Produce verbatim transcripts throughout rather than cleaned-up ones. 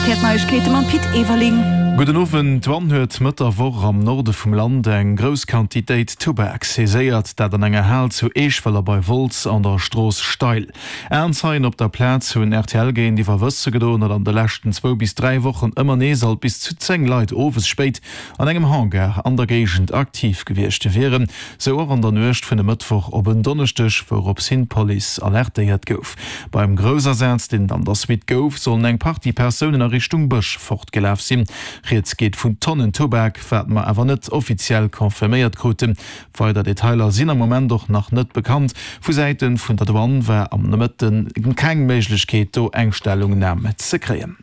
R T L Neiegkeete mam Pit Everling. Gudden Owend, D'Douane huet Mëtt der Woch am Norde vum Land eng grouss Quantitéit Tubak saiséiert, dat an enger Hal zu Eeschwëller bei Wolz an der Strooss Steil. Aenzeien op der Plaz hunn R T L géintiwwer wësse gedoen, datt an de leschten zwou bis dräi Wochen ëmmer nees alt bis zu zéng Leit owes spéit an engem Hangar an der Géigend aktiv gewiescht wieren. Sou och an der Nuecht vun e Mëttwoch op en Donneschdeg, wourops hin d'Police alertéiert gouf. Beim Groussasaz, deen et an der Suite gouf, sollen eng Partie Persounen a Richtung Bësch fortgelaf sinn. Rieds geet vun Tonnen Tubak, wat mer awer net offiziell confirméiert kruten. Weider Detailer sinn am Moment och nach net bekannt. Vu Säite vun der Douane war am Nomëtte keng Méiglechkeet, do eng Stellungnam ze kréien.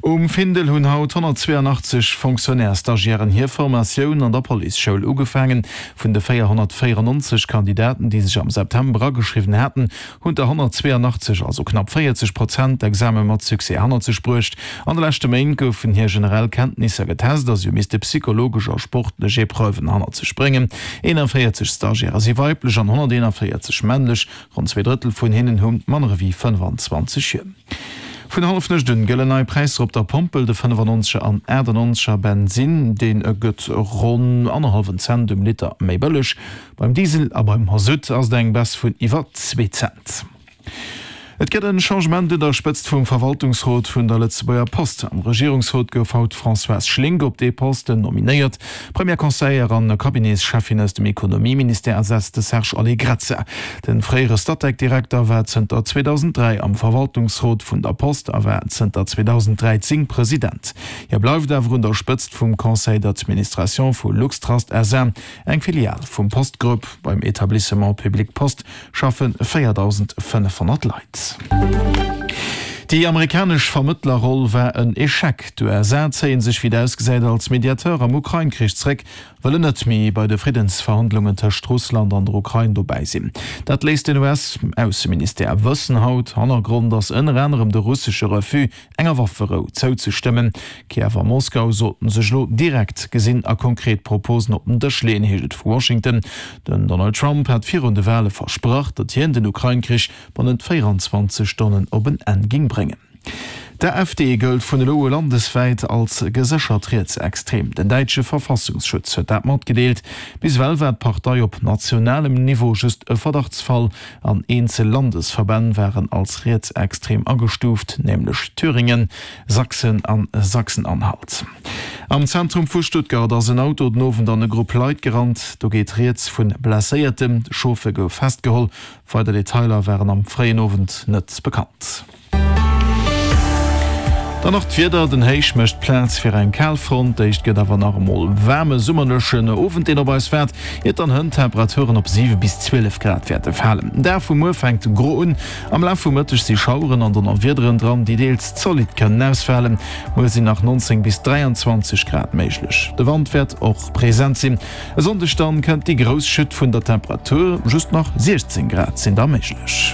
Um Findel hunn haut honnertzweeanachtzeg Fonctionnaire-Stagiairen hir Formatioun an der Policeschoul ugefaangen. Vun de véierhonnertvéierennonzeg Kandidaten, déi sech am September ageschriwwen haten, hunn der honnertzweeanachtzeg, also knapp véierzeg Prozent, d'Exame mat Succès hannert sech bruecht. An de leschte Méint goufen hir generell Kenntnisser getest a si hu misste psychologesch a sportlech Epreuven hannert sech bréngen. Eenanvéierzeg Stagiairë si weiblech an honnerteenanvéierzeg männlech. Ronn zwee Drëttel vun hinnen hu manner ewéi fënnefanzwanzeg Joer. Vun Hallefnuecht un gëllen nei Präisser op der Pompel, de fënnefannonzeger an achtannonzeger Bensinn, dee gëtt ronn annerhallwen Cent um Liter méi bëlleg. Beim Diesel a beim Masutt ass et eng Baisse vun iwwer zwee Cent. Et gëtt en Changement un der Spëtzt vum Verwaltungsrot vun der Lëtzebuerger Post. Am Regierungsrot gouf haut d'Françoise Schlink op dee Posten nominéiert. D'Première Conseillère an Cabinetscheffin aus dem Ekonomieministère ersetzt de Serge Allegrezza. De fréiere Statec-Direkter war zënter zweedausenddräi am Verwaltungsrot vun der Post a war zënter zweedausenddräizéng President. Hie bleift awer un der Spëtzt vum Conseil d'administration vu LuxTrust S A, eng Filial vum Post-Grupp. Beim Etablissement public Post schaffe véierdausendfënnefhonnert Leit. Déi amerikanesch Vermëttlerroll war en Echec. D'U S A zéie sech wéi et ausgesäit als Mediateur am Ukrain-Krich zréck, wëllen net méi bei de Friddensverhandlungen tëscht Russland an der Ukrain dobäi sinn. Dat léisst den U S-Ausseministère wëssen haut. Hannergrond ass ënner anerem de russesche Refus, enger Wafferou zouzestëmmen. Kiew a Moskau sollten sech elo direkt gesinn a konkret Proposen op den Dësch leeën, heescht et vu Washington. Den Donald Trump hat virun de Wale versprach, datt hien den Ukrain-Krich bannent véieranzwanzeg Stonnen op en Enn géing bréngen. D'AfD gëllt vun elo u landeswäit als geséchert rietsextrem. Den däitsche Verfassungsschutz huet dat matgedeelt. Bis ewell war d'Partei op nationalem Niveau just e Verdachtsfall an eenzel Landesverbänn waren als rietsextrem agestuuft, nämlech Thüringen, Sachsen a Sachsen-Anhalt. Am Zentrum vu Stuttgart ass en Auto den Owend an e Grupp Leit gerannt. Do geet rieds vu Blesséierten. De Chauffer gouf festgeholl. Weider Detailer waren am fréien Owend net bekannt. Dann nach d'Wieder, Den Héich mécht Plaz fir eng Kalfront, d'éischt gëtt awer nach emol waarme summerlechen Owend deen op eis waart, iert dann hënt d'Temperaturen op siwe bis zwielef Grad wäerte falen. Den Dag vu muer fänkt gro un, am Laf vum Mëtteg si Schaueren an Donnerwiederen dran, déi deels zolidd kënnen ausfalen. Muer sinn nach neunzéng bis dräianzwanzeg Grad méiglech, de Wand wäert och present sinn. E Sonndeg dann kënnt déi grouss Chute vun der Temperatur, just nach siechzéng Grad sinn da méiglech.